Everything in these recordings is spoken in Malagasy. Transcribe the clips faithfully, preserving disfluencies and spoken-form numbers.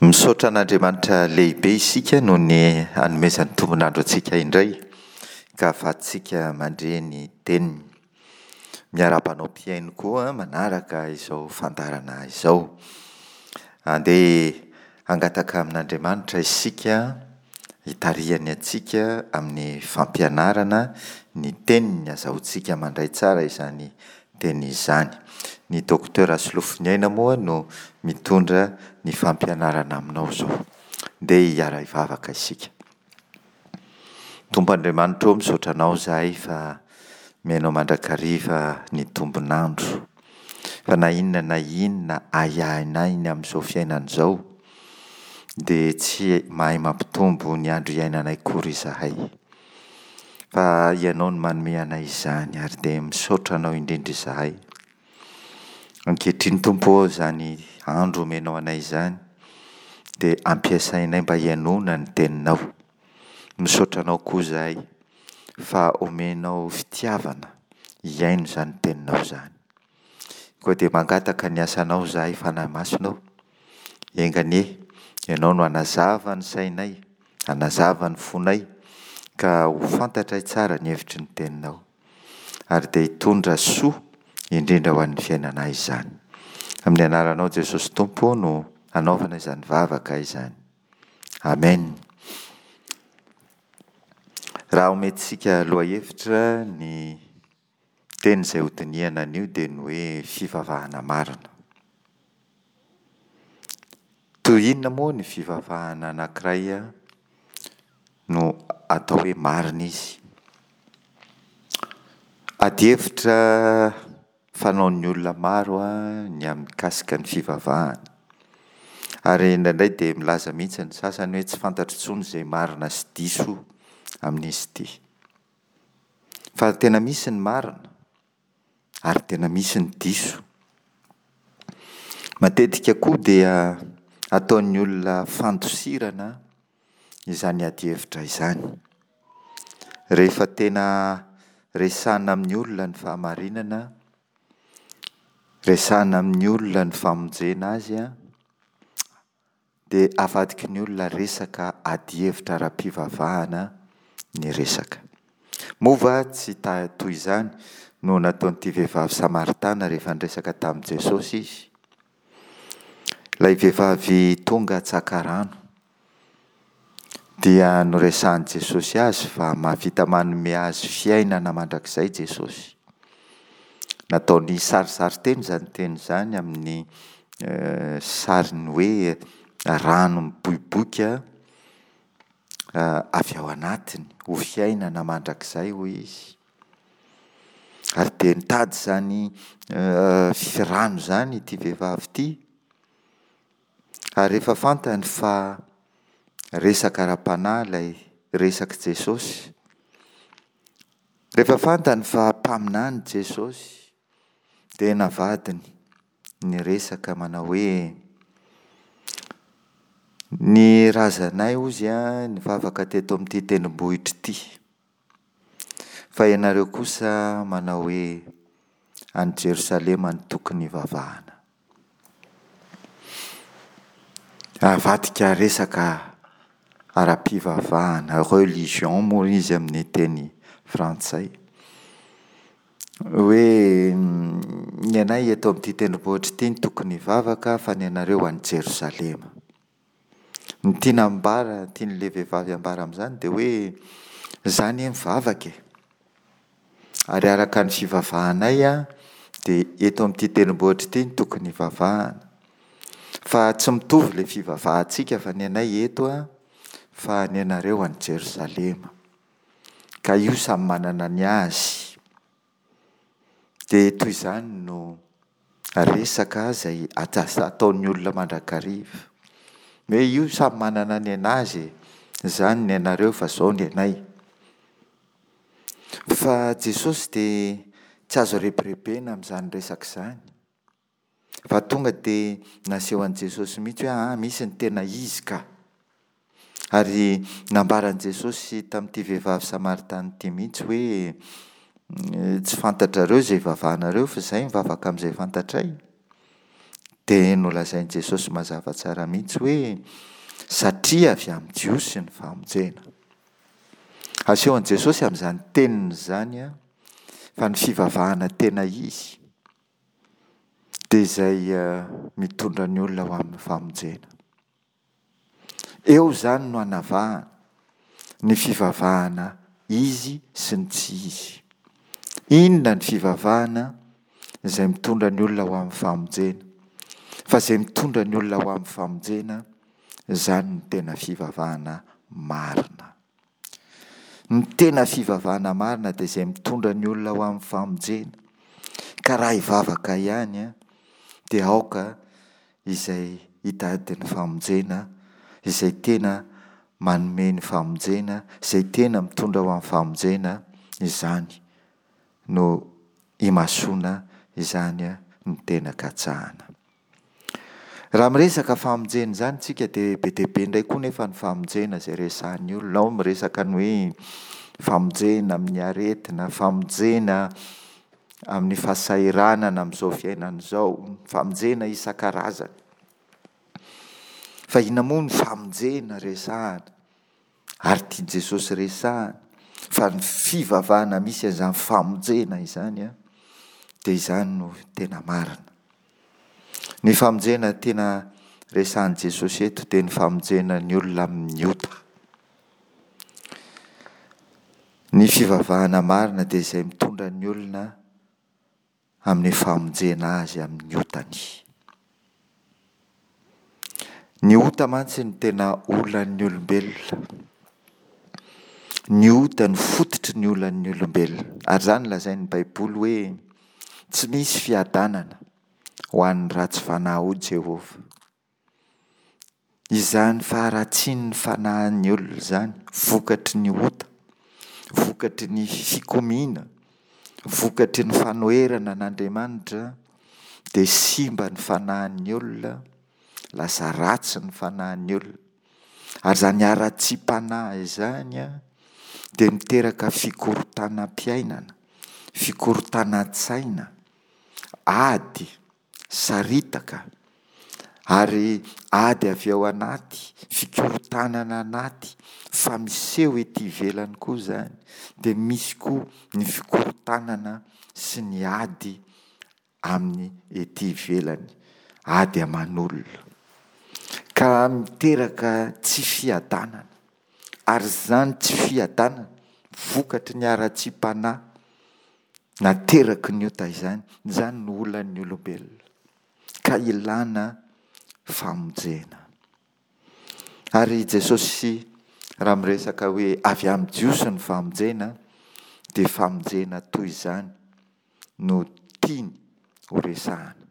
Misaotra an'Andriamanitra lehibe isika noho ny hanomezany tombon'andro antsika indray ka ahafahantsika mandre ny teniny. Miarahaba anao mpihaino koa manaraka izao fandaharana izao. Andeha hangataka amin'Andriamanitra isika hitarihany antsika amin'ny fampianarana ny teniny, azahoantsika mandray tsara izany teny izany. Ny Docteur Rasolofoniaina moa no mitondra ny fampianarana aminao izao. Ndeha hiara-hivavaka isika. Tompo Andriamanitra ô, misaotra Anao izahay fa omenao mandrakariva ny tombon'andro. Fa na inona na inona ahiahinay ny amin'izao fiainana izao, dia tsy mahay mampitombo ny andro iainanay akory izahay. Fa Ianao no manome anay izany ary dia misaotra Anao indrindra izahay. Ankehitriny Tompo ô, izany andro omenao anay izany dia ampiasainay mba hihainoana ny Teninao. Misaotra Anao koa izahay fa omenao fitiavana hihaino izany Teninao izany. Koa dia mangataka ny asanao izahay Fanahy Masina ô, enga anie Ianao no hanazava ny sainay, hanazava ny fonay, ka ho fantatray tsara ny hevitry ny Teninao. Ary dia hitondra soa indrindra ho an'ny fiainanay izany. Amin'ny anaranao Jesosy Tompo no anaovana izany vavaka izany. Amen. Raha omentsika lohahevitra ny teny izay hodinihana anio dia ny hoe fivavahana marina. Toy inona moa ny fivavahana anankiray no atao hoe marina izy? Adihevitra fanaon'ny olona maro ny amin'ny mikasika ny fivavahana. Ary indraindray dia milaza mihitsy ny sasany hoe tsy fantatro intsony izay marina sy diso amin'izy ity. Fa tena misy ny marina ary tena misy ny diso. Matetika koa dia ataon'ny olona fandosirana izany adihevitra izany. Rehefa tena resahina amin'ny olona ny fahamarinana, resahina amin'ny olona ny famonjena azy an, dia avadiky ny olona resaka adihevitra ara-pivavahana ny resaka. Moa va tsy ta- toy izany no nataon'ity vehivavy samaritana rehefa niresaka tamin'i Jesosy izy? Ilay vehivavy tonga tsaka rano dia noresahin'i Jesosy azy fa mahavita manome azy fiainana mandrakizay Jesosy. Nataony sarisarin-teny izany teny izany amin'ny sariny hoe rano miboiboika avy ao anatiny ho fiainana mandrakizay hoy izy. Ary dia nitady izany rano izany ity vehivavy ity. Ary rehefa fantany fa resaka ara-panahy ilay resak'i Jesosy, rehefa fantany fa mpaminany Jesosy, dia navadiny ny resaka manao hoe ny razanay hozy nivavaka teto amin'ity tendrombohitra ity, fa ianareo kosa manao hoe any Jerosalema no tokony hivavahana. Avadika resaka ara-pivavahana, religion moa izy amin'ny teny frantsay, hoe ny anay eto amin'ity tendrombohitra ity no tokony hivavaka fa ny anareo any Jerosalema. Ny tiana ambara, tian'ilay vehivavy ambara amin'izany dia hoe izaho anie mivavaka e! Ary araka ny fivavahanay dia eto amin'ity tendrombohitra ity no tokony hivavahana. Fa tsy mitovy ilay fivavahantsika fa ny anay eto fa ny anareo any Jerosalema. Ka io samy manana ny azy. Dia toy izany no resaka izay ataon'ny olona mandrakariva. Hoe io samy manana ny an'azy e! Izany ny anareo fa izao ny anay. Fa Jesosy dia tsy azo rebirebena amin'izany resaka izany. Fa tonga dia naseho an'i Jesosy mihitsy hoe aa misy ny tena izy ka. Ary nambaran'i Jesosy tamin'ity vehivavy samaritana ity mihitsy hoe tsy fantatrareo izay ivavahanareo fa izahay mivavaka amin'izay fantatray. Dia nolazain'i Jesosy mazava tsara mihitsy hoe satria avy amin'ny Jiosy ny famonjena. Asehon'i Jesosy amin'izany teniny izany fa ny fivavahana tena izy dia izay mitondra ny olona ho amin'ny famonjena. Eo izany no anavahana ny fivavahana izy sy ny tsy izy. Inona ny fivavahana izay mitondra ny olona ho amin'ny famonjena? Fa izay mitondra ny olona ho amin'ny famonjena, izany no tena fivavahana marina. Ny tena fivavahana marina dia izay mitondra ny olona ho amin'ny famonjena. Ka raha hivavaka ihany dia aoka izay hitady ny famonjena, izay tena manome ny famonjena, izay tena mitondra ho amin'ny famonjena, izany no imasoana, izany no tena katsahana. Raha miresaka famonjena izany tsika dia be dia be indray koa nefa ny famonjena izay resahan'ny olona. Ao miresaka ny hoe famonjena amin'ny aretina, famonjena amin'ny fahasahiranana amin'izao fiainana izao, famonjena isan-karazany. Fa inona moa ny famonjena resahana? Ary tian'i Jesosy resahana fa ny fivavahana misy an'izany famonjena izany dia izany no tena marina. Ny famonjena tena resahan'i Jesosy eto dia ny famonjena ny olona amin'ny ota. Ny fivavahana marina dia izay mitondra ny olona amin'ny famonjena azy amin'ny otany. Ny ota mantsy no tena olan'ny olombelona. Ny ota no fototry ny olan'ny olombelona. Ary izany lazain'ny Baiboly hoe tsy misy fiadanana ho an'ny ratsy fanahy hoy Jehovah. Izany faharatsian'ny fanahin'ny olona izany, vokatry ny ota, vokatry ny fikomiana, vokatry ny fanoherana an'Andriamanitra, dia simba ny fanahin'ny olona, lasa ratsy ny fanahin'ny olona. Ary izany haratsiam-panahy izany dia miteraka fikorontanam-piainana, fikorontanan-tsaina, ady, saritaka, ary ady avy ao anaty, fikorontanana anaty, fa miseho ety ivelany koa izany. Dia misy koa ny fikorontanana sy ny ady amin'ny ety ivelany, ady aman'olona. Ka miteraka tsy fiadanana. Ary izany tsy fiadanana vokatry ny haratsiam-panahy nateraky ny ota izany, izany no olan'ny olombelona. Ka ilana famonjena. Ary Jesosy raha miresaka hoe avy amin'ny Jiosy ny famonjena, dia famonjena toy izany no tiany ho resahana.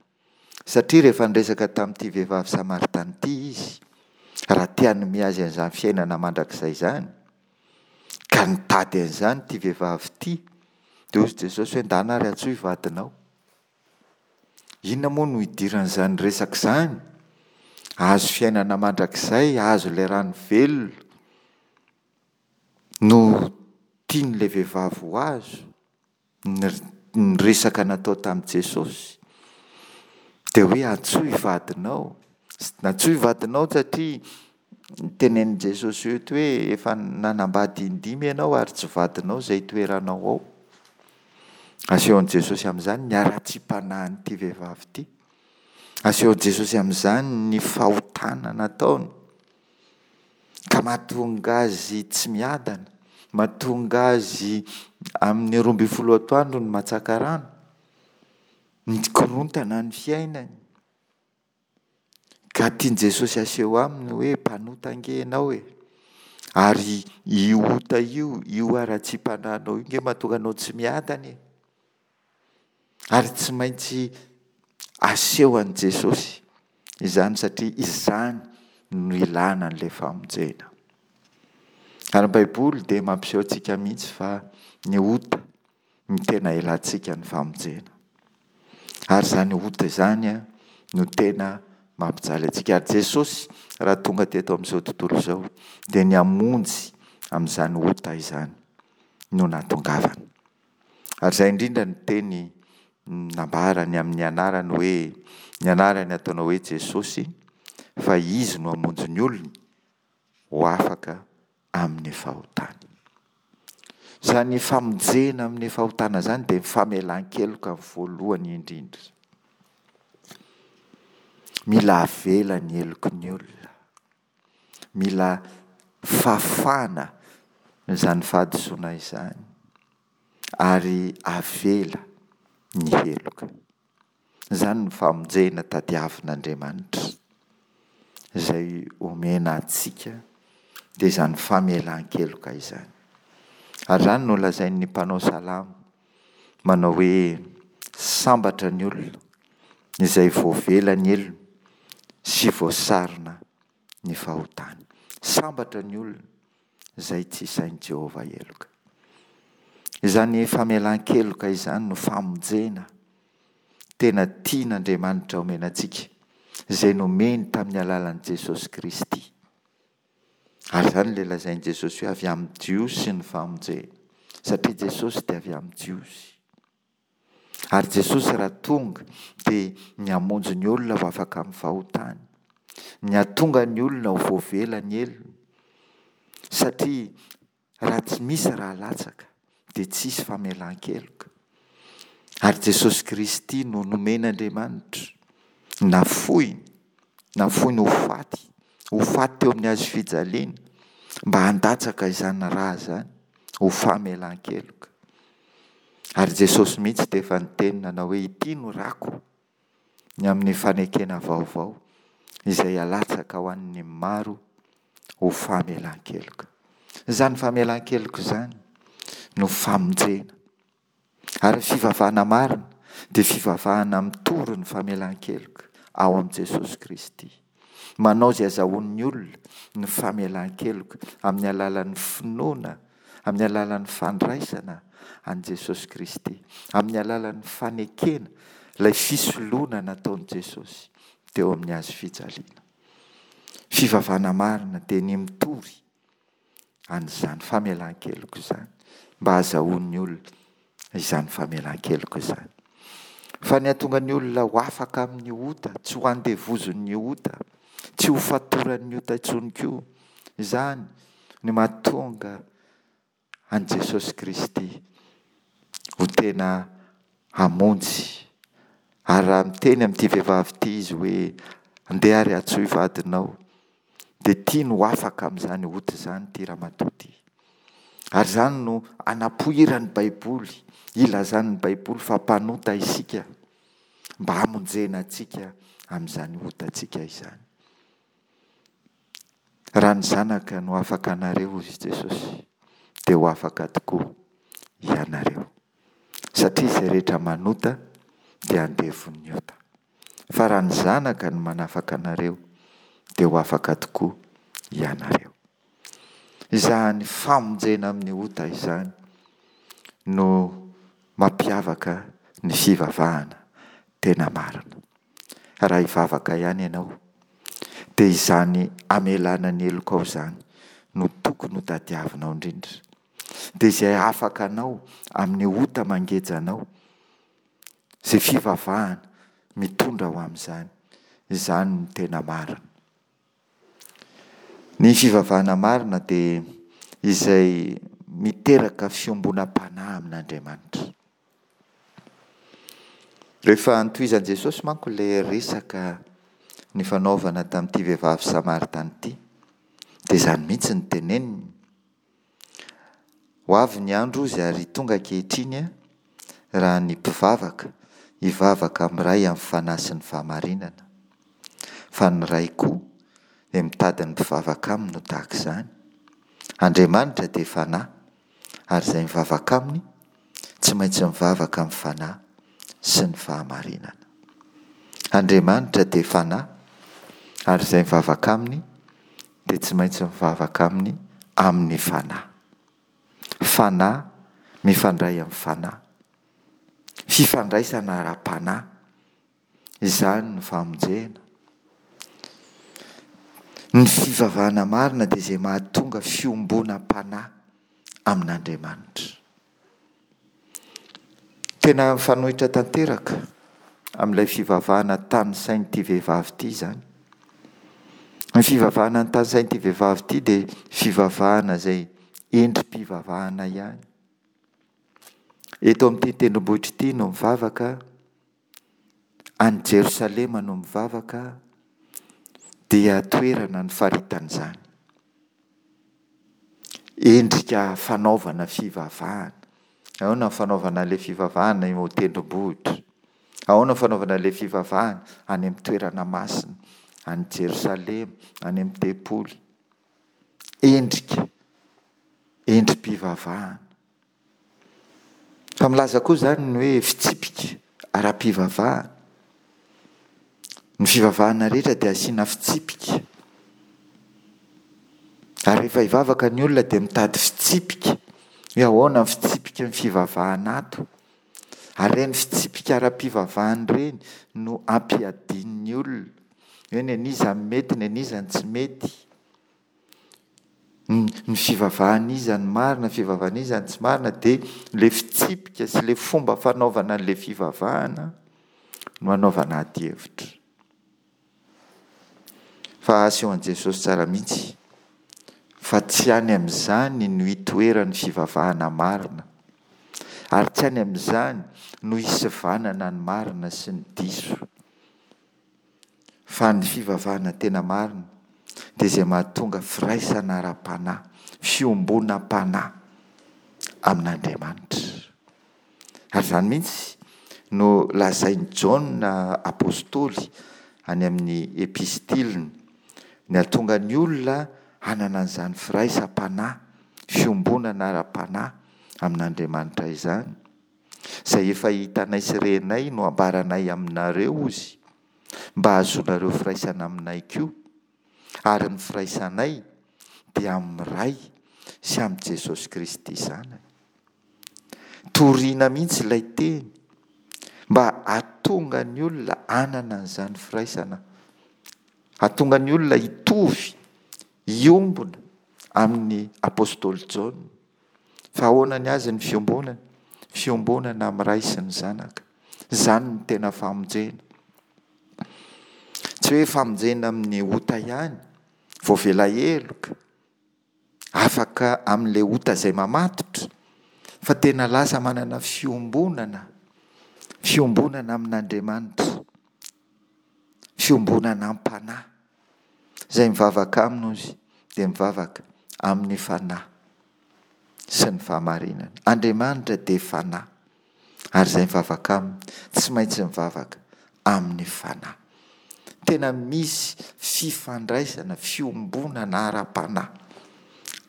Satria rehefa niresaka tamin'ity vehivavy samaritana ity izy, raha te hanome azy an'izany fiainana mandrakizay izany, ka nitady an'izany ity vehivavy ity, dia hoy Jesosy hoe ndana ary antsoy vadinao. Inona moa no idiran'izany resaka izany? Hahazo fiainana mandrakizay, hahazo ilay rano velona no tian'ilay vehivavy ho azo. Ny resaka natao tamin'i Jesosy dia hoe antsoy vadinao. Antsoy vadinao satria tenenin'i Jesosy eto hoe efa nanambady indimy ianao ary tsy vadinao izay itoeranao ao. Asehon'i Jesosy amin'izany ny haratsiam-panahin'ity vehivavy ity. Asehon'i Jesosy amin'izany ny fahotana nataony ka mahatonga azy tsy miadana, mahatonga azy amin'ny roa ambin'ny folo atoandro ny matsaka rano, mikorontana ny fiainany. Ka tian'i Jesosy aseho aminy hoe mpanota ange ianao e. Ary io ota io, io haratsiam-panahinao io nge mahatonga anao tsy miadana e. Ary tsy maintsy aseho an'i Jesosy izany satria izany no ilana an'ilay famonjena. Ary ny Baiboly dia mampiseho antsika mihitsy fa ny ota no tena ilantsika ny famonjena. Ary izany ota izany no tena mampijaly antsika. Ary Jesosy raha tonga teto amin'izao tontolo izao dia ny hamonjy amin'izany ota izany no nahatongavany. Ary izay indrindra no teny nambarany amin'ny anarany hoe Ny anarany ataonao hoe Jesosy, fa Izy no hamonjy ny olony ho afaka amin'ny fahotany. Izany famonjena amin'ny fahotana izany dia ny famelan-keloka voalohany indrindra. Mila avela ny heloky ny olona. Mila fafana izany fahadisoana izany ary avela ny heloka. Izany ny famonjena tadiavin'Andriamanitra izay omena antsika dia izany famelan-keloka izany. Ary izany no lazain'ny mpanao salamo manao hoe sambatra ny olona izay voavela ny helony sy voasarona ny fahotany. Sambatra ny olona izay tsy isain'i Jehovah heloka. Izany famelan-keloka izany no famonjena tena tian'Andriamanitra omena antsika, izay nomeny tamin'ny alalan'i Jesosy Kristy. Ary izany ilay lazain'i Jesosy hoe avy amin'ny Jiosy ny famonjena, satria Jesosy dia avy amin'ny Jiosy. Ary Jesosy raha tonga dia ny hamonjy ny olona ho afaka amin'ny fahotany, ny hahatonga ny olona ho voavela ny helony, satria raha tsy misy raha latsaka dia tsy hisy famelan-keloka. Ary Jesosy Kristy no nomen'Andriamanitra, nafoiny, nafoiny ho faty, ho faty teo amin'ny hazo fijaliana mba handatsaka izany rà izany ho famelan-keloka. Ary Jesosy mihitsy dia efa niteny nanao hoe ity no rako ny amin'ny fanekena vaovao izay alatsaka ho an'ny maro ho famelan-keloka. Izany famelan-keloka izany no famonjena. Ary ny fivavahana marina dia fivavahana mitory ny famelan-keloka ao amin'i Jesosy Kristy. Manao izay azahoan'ny olona ny famelan-keloka amin'ny alalan'ny finoana, amin'ny alalan'ny fandraisana an'i Jesosy Kristy, amin'ny alalan'ny fanekena ilay fisoloana nataon'i Jesosy teo amin'ny hazo fijaliana. Fivavahana marina dia ny mitory an'izany famelan-keloka izany mba hahazahoan'ny olona izany famelan-keloka izany. Fa ny hahatonga ny olona ho afaka amin'ny ota, tsy ho andevozin'ny ota, tsy ho fatoran'ny ota intsony koa, izany no mahatonga an'i Jesosy Kristy ho tena hamonjy. Ary raha miteny amin'ity vehivavy ity izy hoe andeha ary antsoy vadinao, dia tiany ho afaka amin'izany ota izany ity ramatoa ity. Ary izany no anapoiran'ny Baiboly, ilazan'ny Baiboly fa mpanota isika mba hamonjena antsika amin'izany otantsika izany. Raha ny Zanaka no afaka anareo, hoy Jesosy, dia ho afaka tokoa ianareo. Satria izay rehetra manota dia andevon'ny ota. Fa raha ny Zanaka no manafaka anareo, dia ho afaka tokoa ianareo. Izany famonjena amin'ny ota izany no mampiavaka ny fivavahana tena marina. Raha hivavaka ihany ianao, dia izany hamelana ny helokao izany no tokony ho tadiavinao indrindra. Dia izay afaka anao amin'ny ota mangeja anao, izay fivavahana mitondra ho amin'izany, izany no tena marina. Ny fivavahana marina dia izay miteraka fiombonam-panahy amin'Andriamanitra. Rehefa notohizan'i Jesosy manko ilay resaka nifanaovana tamin'ity vehivavy samaritana ity, dia izany mihitsy no teneniny. Ho avy ny andro hozy ary tonga ankehitriny raha ny mpivavaka hivavaka amin'ny Ray amin'ny fanahy sy ny fahamarinana. Fa ny Ray koa dia mitady ny mpivavaka aminy ho tahaka izany. Andriamanitra dia fanahy ary izay mivavaka aminy tsy maintsy mivavaka amin'ny fanahy sy ny fahamarinana. Andriamanitra dia fanahy ary izay mivavaka aminy dia tsy maintsy mivavaka aminy amin'ny fanahy. Fanahy mifandray amin'ny fanahy. Fifandraisana ara-panahy. Izany no famonjena. Ny fivavahana marina dia izay mahatonga fiombonam-panahy amin'Andriamanitra. Tena mifanohitra tanteraka amin'ilay fivavahana tanisain'ity vehivavy ity izany. Ny fivavahana notanisain'ity vehivavy ity dia fivavahana izay endri-pivavahana ihany. Eto amin'ity tendrombohitra ity no mivavaka, any Jerosalema no mivavaka, dia toerana nifaritan'izany. Endrika fanaovana fivavahana. Ahoana ny fanaovana ilay fivavahana eo an-tendrombohitra? Ahoana ny fanaovana ilay fivavahana any amin'ny toerana masina, any Jerosalema, any amin'ny tempoly? Endrika, endri-pivavahana. Fa milaza koa izany ny hoe fitsipika ara-pivavahana. Ny fivavahana rehetra dia asiana fitsipika. Ary rehefa hivavaka ny olona dia mitady fitsipika hoe ahoana ny fitsipiky ny fivavahana ato. Ary ireny fitsipika ara-pivavahana ireny no ampiadian'ny olona hoe ny an'iza no mety, ny an'iza no tsy mety. Ny fivavahan'iza no marina, ny fivavahan'iza no tsy marina dia ilay fitsipika sy ilay fomba fanaovana an'ilay fivavahana no anaovana adihevitra. Fa asehon'i Jesosy tsara mihitsy fa tsy any amin'izany no itoeran'ny fivavahana marina, ary tsy any amin'izany no isivanana ny marina sy ny diso. Fa ny fivavahana tena marina dia izay mahatonga firaisana ara-panahy, fiombonam-panahy amin'Andriamanitra. Ary izany mihitsy no lazain'i Jaona apostoly any amin'ny epistiliny, ny hahatonga ny olona hanana an'izany firaisam-panahy, fiombonana ara-panahy amin'Andriamanitra izany. Izay efa hitanay sy renay no ambaranay aminareo, hozy, mba hahazoanareo firaisana aminay koa, ary ny firaisanay dia amin'ny Ray sy amin'i Jesosy Kristy Zanany. Torina mihitsy ilay teny mba hahatonga ny olona hanana an'izany firaisana, hahatonga ny olona hitovy, hiombona amin'ny apostoly Jaona. Fa ahoana ny azy ny fiombonana? Fiombonana amin'ny Ray sy ny Zanaka. Izany no tena famonjena. Tsy hoe famonjena amin'ny ota ihany, voavela heloka, afaka amin'ilay ota izay mamatotra, fa tena lasa manana fiombonana, fiombonana amin'Andriamanitra, fiombonana am-panahy. Izay mivavaka aminy ozy dia mivavaka amin'ny fanahy sy ny fahamarinana. Andriamanitra dia fanahy, ary izay mivavaka aminy tsy maintsy mivavaka amin'ny fanahy. Tena misy fifandraisana, fiombonana ara-panahy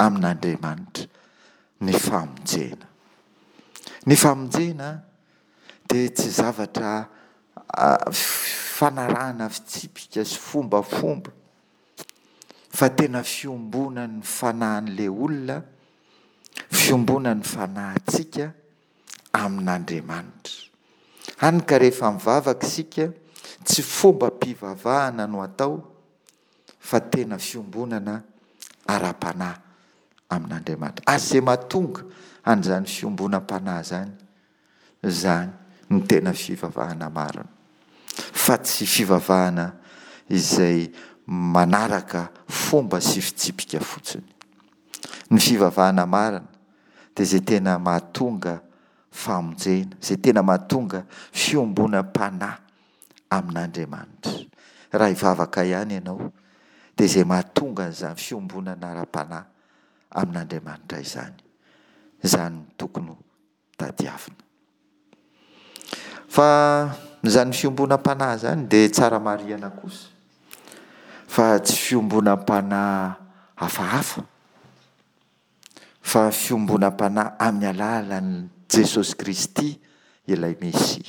amin'Andriamanitra ny famonjena. Ny famonjena dia tsy zavatra fanarahana fitsipika sy fombafomba fa tena fiombonan'ny fanahin'ilay olona, fiombonan'ny fanahintsika amin'Andriamanitra. Hany ka rehefa mivavaka isika, tsy fombam-pivavahana no atao fa tena fiombonana ara-panahy amin'Andriamanitra. Ary izay mahatonga an'izany fiombonam-panahy izany, izany no tena fivavahana marina, fa tsy fivavahana izay manaraka fomba sy fitsipika fotsiny. Ny fivavahana marina dia izay tena mahatonga famonjena, izay tena mahatonga fiombonam-panahy amin'Andriamanitra. Raha hivavaka ihany ianao dia izay mahatonga an'izany fiombonana ara-panahy amin'Andriamanitra izany. Izany no tokony ho tadiavina. Fa izany fiombonam-panahy izany dia tsara marihana kosa fa tsy fiombonam-panahy hafahafa fa fiombonam-panahy amin'ny alalan'i Jesosy Kristy ilay Mesia.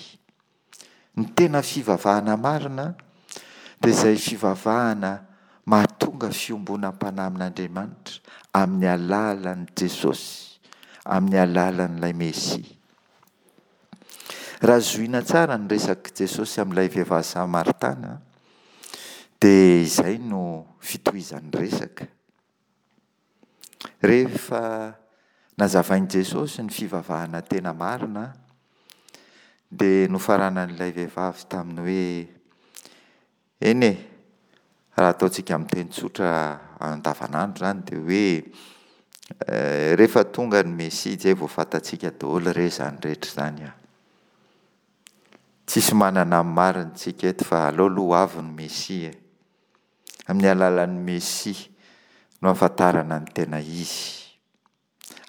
Ny tena fivavahana marina dia izay fivavahana mahatonga fiombonam-panahy amin'Andriamanitra amin'ny alalan'i Jesosy, amin'ny alalan'ilay Mesia. Raha zohina tsara ny resak'i Jesosy amin'ilay vehivavy Samaritana dia izay no fitohizan'ny resaka. Rehefa nazavain'i Jesosy ny fivavahana tena marina Dia nofaranan'ilay vehivavy tamin'ny hoe, eny e, raha ataontsika amin'ny teny tsotra andavanandro izany dia hoe rehefa tonga ny Mesia izay vao fantatsika daholo re izany rehetra izany an. Tsisy manana ny marina isika eto fa aleo aloha ho avy ny Mesia e. Amin'ny alalan'ny Mesia no ahafantarana ny tena izy.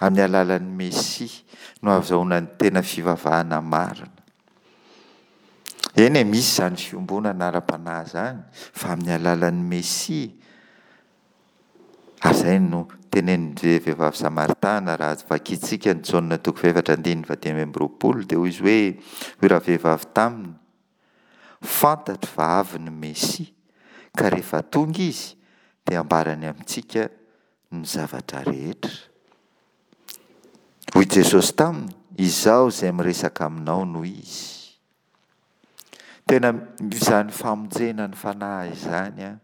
Amin'ny alalan'ny Mesia no ahazahoana ny tena fivavahana marina. Eny e, misy izany fiombonana ara-panahy izany, fa amin'ny alalan'ny Mesia. Ary izay no tenenin'ny vehivavy samaritana raha vakintsika ny Jaona toko fahefatra andininy fahadimy amby roapolo dia hoy izy hoe, hoy ravehivavy taminy, fantatro fa avy ny Mesia, ka rehefa tonga izy dia hambarany amintsika ny zavatra rehetra. Hoy Jesosy taminy, izaho izay miresaka aminao no izy. Tena izany famonjena ny fanahy izany an,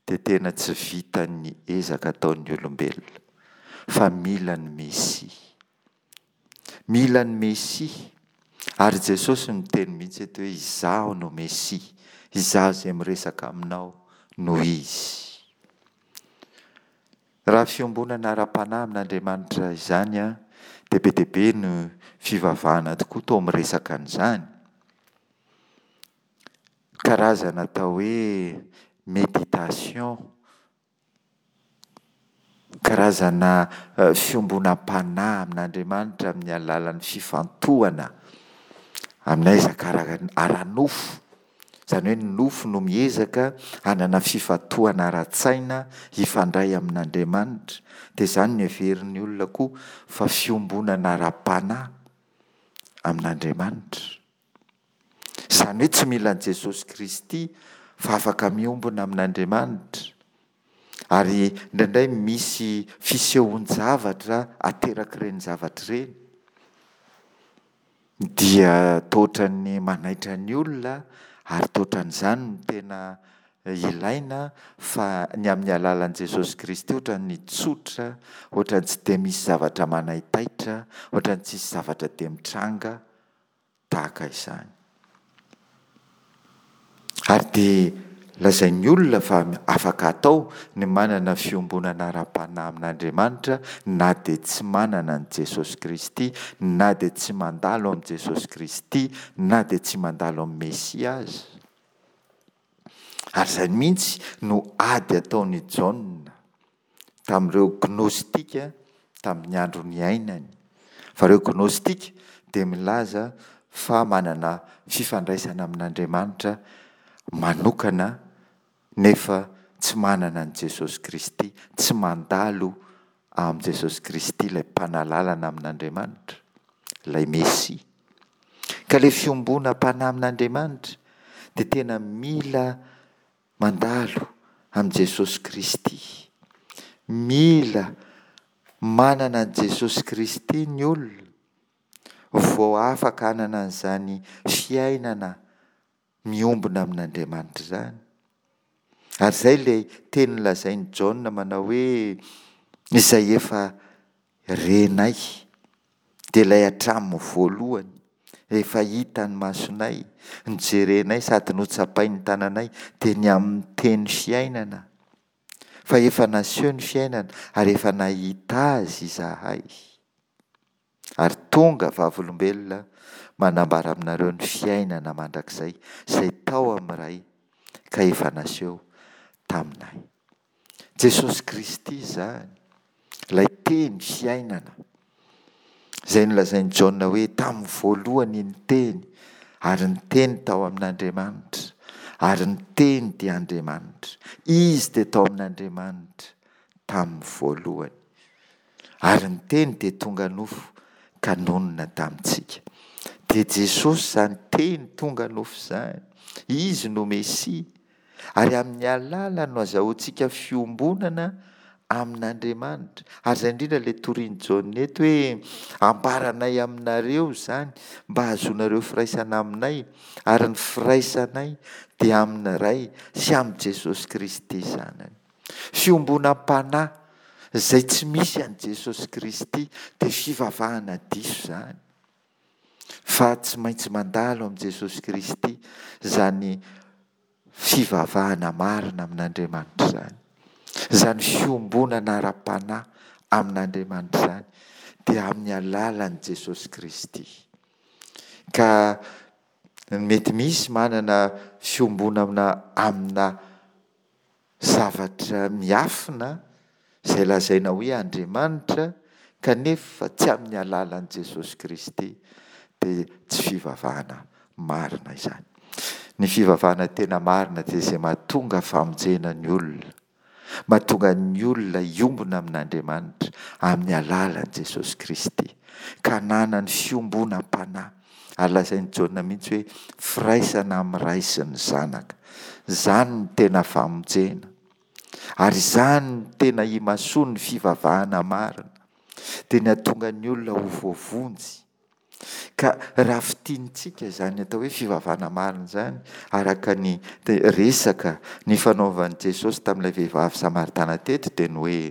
dia tena tsy vitan'ny ezaka ataon'ny olombelona, fa mila ny Mesia. Mila ny Mesia. Ary Jesosy miteny mihitsy eto hoe izaho no Mesia, izaho izay miresaka aminao no izy. Raha fiombonana ara-panahy amin'Andriamanitra izany an, dia be dia be ny fivavahana tokoa toa miresaka an'izany. Karazana atao hoe méditation, karazana fiombonam-panahy amin'Andriamanitra amin'ny alalan'ny fifantohana amin'ny ezaka ara-nofo. Izany hoe ny nofo no miezaka hanana fifantohana ara-tsaina hifandray amin'Andriamanitra. Dia izany no heverin'ny olona koa fa fiombonana ara-panahy amin'Andriamanitra. Izany hoe tsy mila an'i Jesosy Kristy fa afaka miombona amin'Andriamanitra. Ary indraindray misy fisehoan-javatra aterak'ireny zavatra ireny. Dia toa ohatran'ny manaitra ny olona ary toa ohatran'izany no tena ilaina fa ny amin'ny alalan'i Jesosy Kristy ohatran'ny tsotra, ohatran'ny tsy dia misy zavatra manaitaitra, ohatran'ny tsisy zavatra dia mitranga tahaka izany. Ary dia lazain'ny olona fa afaka atao ny manana fiombonana ara-panahy amin'Andriamanitra na dia tsy manana an'i Jesosy Kristy, na dia tsy mandalo amin'i Jesosy Kristy, na dia tsy mandalo amin'ny Mesia aza. Ary izay mihitsy no ady ataon'i Jaona tamin'ireo gnostika tamin'ny andro niainany. Fa ireo gnostika dia milaza fa manana fifandraisana amin'Andriamanitra manokana nefa tsy manana an'i Jesosy Kristy, tsy mandalo amin'i Jesosy Kristy ilay mpanalalana amin'Andriamanitra, ilay Mesia. Ka ilay fiombonam-panahy amin'Andriamanitra dia tena mila mandalo amin'i Jesosy Kristy. Mila manana an'i Jesosy Kristy ny olona vao afaka hanana an'izany fiainana miombona amin'Andriamanitra izany. Ary izay ilay teny nolazain'i Jaona manao hoe izay efa renay dia ilay hatramin'ny voalohany, efa hitan'ny masonay, nojerenay sady notsapain'ny tananay, dia ny amin'ny teny fiainana. Fa efa naseho ny fiainana ary efa nahita azy izahay. Ary tonga vavolombelona manambara aminareo ny fiainana mandrakizay izay tao amin'ny Ray ka efa naseho taminay. Jesosy Kristy izany, ilay teny fiainana, izay nolazain'i Jaona hoe tamin'ny voalohany ny teny, ary ny teny tao amin'Andriamanitra, ary ny teny dia Andriamanitra. Izy dia tao amin'Andriamanitra tamin'ny voalohany. Ary ny teny dia tonga nofo ka nonina tamintsika. Dia Jesosy izany teny tonga nofo izany. Izy no Mesia. Ary amin'ny alalany no azahoantsika fiombonana amin'Andriamanitra. Ary izay indrindra ilay torian'i Jaona eto hoe ambaranay aminareo izany mba hahazoanareo firaisana aminay, ary ny firaisanay dia amin'ny Ray sy amin'i Jesosy Kristy Zanany. Fiombonam-panahy izay tsy misy an'i Jesosy Kristy dia fivavahana diso izany. Fa tsy maintsy mandalo amin'i Jesosy Kristy izany fivavahana marina amin'Andriamanitra izany. Izany fiombonana ara-panahy amin'Andriamanitra izany dia amin'ny alalan'i Jesosy Kristy. Ka mety misy manana fiombonana amina zavatra miafina izay lazaina hoe Andriamanitra kanefa tsy amin'ny alalan'i Jesosy Kristy dia tsy fivavahana marina izany. Ny fivavahana tena marina dia izay mahatonga famonjena ny olona, mahatonga ny olona hiombona amin'Andriamanitra amin'ny alalan'i Jesosy Kristy, ka hananany fiombonam-panahy. Ary lazain'i Jaona mihitsy hoe firaisana amin'ny Ray sy ny Zanaka. Izany no tena famonjena. Ary izany no tena imasoan'ny fivavahana marina. Dia ny hahatonga ny olona ho voavonjy. Ka raha fintinintsika izany atao hoe fivavahana marina izany, araka ny resaka nifanaovan'i Jesosy tamin'ilay vehivavy samaritana teto, dia ny hoe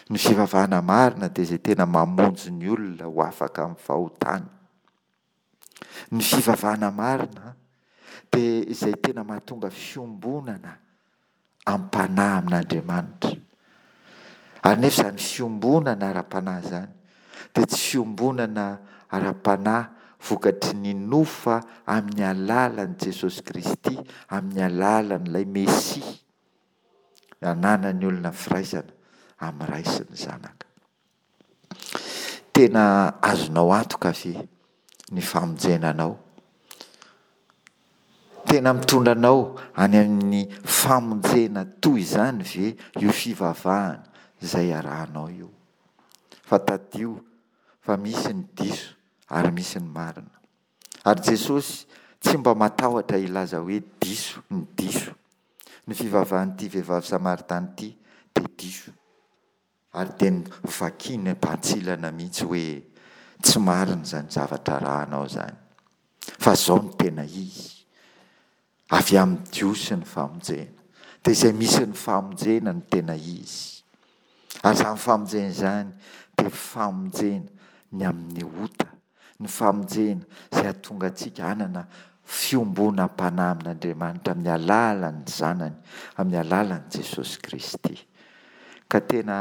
ny fivavahana marina dia izay tena mamonjy ny olona ho afaka amin'ny fahotana. Ny fivavahana marina dia izay tena mahatonga fiombonana am-panahy amin'Andriamanitra. Ary nefa izany fiombonana ara-panahy izany dia tsy fiombonana ara-panahy vokatry ny nofa amin'ny alalan'i Jesosy Kristy, amin'ny alalan'ilay Mesia ananan'ny olona firaisana amin'ny Ray sy ny Zanaka. Tena azonao antoka ve ny famonjena anao? Tena mitondra anao any amin'ny famonjena toy izany ve io fivavahana izay arahanao io? Fa tadidio fa misy ny diso ary misy ny marina. Ary Jesosy tsy mba matahotra hilaza hoe diso ny diso. Ny fivavahan'ity vehivavy samaritana ity dia diso. Ary dia novakiany am-pantsilana mihitsy hoe tsy marina izany zavatra arahanao izany. Fa izao no tena izy. Avy amin'ny Jiosy ny famonjena. Dia izay misy ny famonjena no tena izy. Ary izany famonjena izany dia famonjena ny amin'ny ota. Ny famonjena izay hahatonga antsika hanana fiombonam-panahy amin'Andriamanitra amin'ny alalan'ny Zanany, amin'ny alalan'i Jesosy Kristy. Ka tena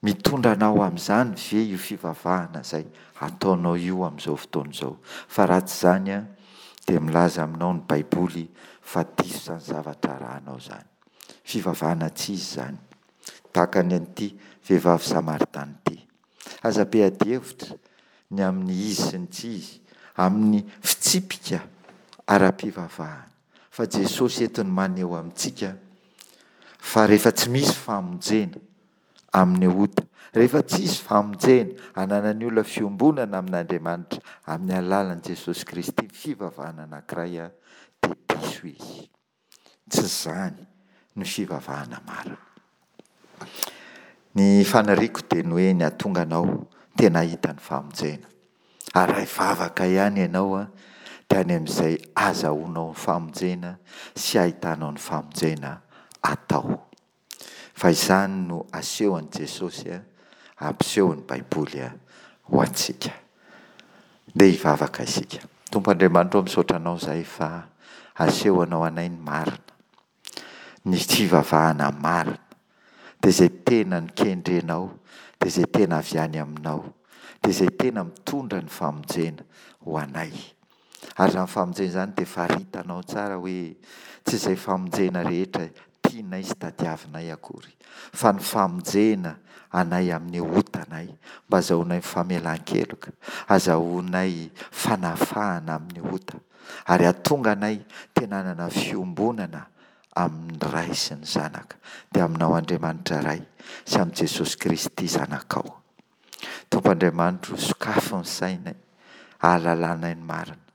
mitondra anao amin'izany ve io fivavahana izay ataonao io amin'izao fotoana izao? Fa raha tsy izany dia milaza aminao ny Baiboly fa diso izany zavatra arahanao izany. Fivavahana tsy izy izany. Tahaka ny an'ity vehivavy samaritana ity. Aza be adihevitra ny amin'ny izy sy ny tsy izy, amin'ny fitsipika ara-pivavahana. Fa Jesosy eto no maneho amintsika fa rehefa tsy misy famonjena amin'ny ota, rehefa tsy hisy famonjena ananan'ny olona fiombonana amin'Andriamanitra amin'ny alalan'i Jesosy Kristy, ny fivavahana anankiray dia diso izy. Tsy izany no fivavahana marina. Ny faniriako dia ny hoe ny hahatonga anao tena hahita ny famonjena. Ary raha hivavaka ihany ianao dia any amin'izay azahoanao ny famonjena sy ahitanao ny famonjena atao. Fa izany no asehon'i Jesosy, ampisehon'ny Baiboly ho antsika. Ndeha hivavaka isika. Tompo Andriamanitra ô, misaotra Anao izahay fa asehonao anay ny marina, ny fivavahana marina, dia izay tena nokendrenao, dia izay tena avy any Aminao, dia izay tena mitondra ny famonjena ho anay. Ary izany famonjena izany dia faritanao tsara hoe tsy izay famonjena rehetra tianay sy tadiavinay akory, fa ny famonjena anay amin'ny otanay, mba azahoanay famelan-keloka, azahoanay fanafahana amin'ny ota, ary hahatonga anay tena hanana fiombonana amin'ny Ray sy ny Zanaka, dia aminao Andriamanitra Ray sy amin'i Jesosy Kristy Zanakao. Tompo Andriamanitro, sokafy ny sainay, ahalalanay ny marina,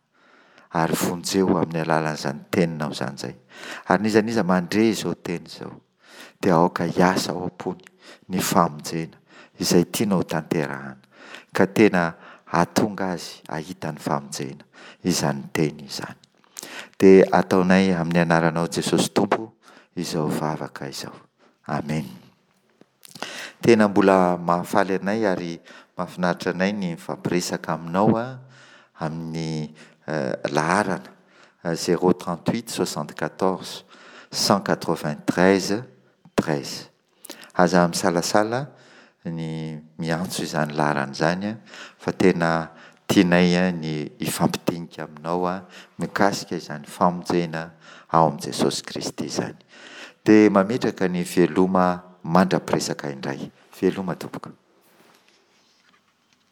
ary vonjeo amin'ny alalan'izany teninao izany izay. Ary n'iza n'iza mandre izao teny izao, dia aoka hiasa ao am-pony ny famonjena izay tianao hotanterahana, ka tena hahatonga azy hahita ny famonjena izany teny izany. Dia ataonay amin'ny anaranao Jesosy Tompo izao vavaka izao. Amena. Tena mbola mahafaly anay ary mahafinaritra anay ny mifampiresaka aminao amin'ny laharana zéro trente huit soixante quatorze cent quatre vingt treize treize. Aza misalasala ny miantso izany laharana izany an, fa tena tianay ny hifampidinika aminao mikasika izany famonjena ao amin'i Jesosy Kristy izany. Dia mametraka ny veloma mandra-piresaka indray. Veloma tompoko.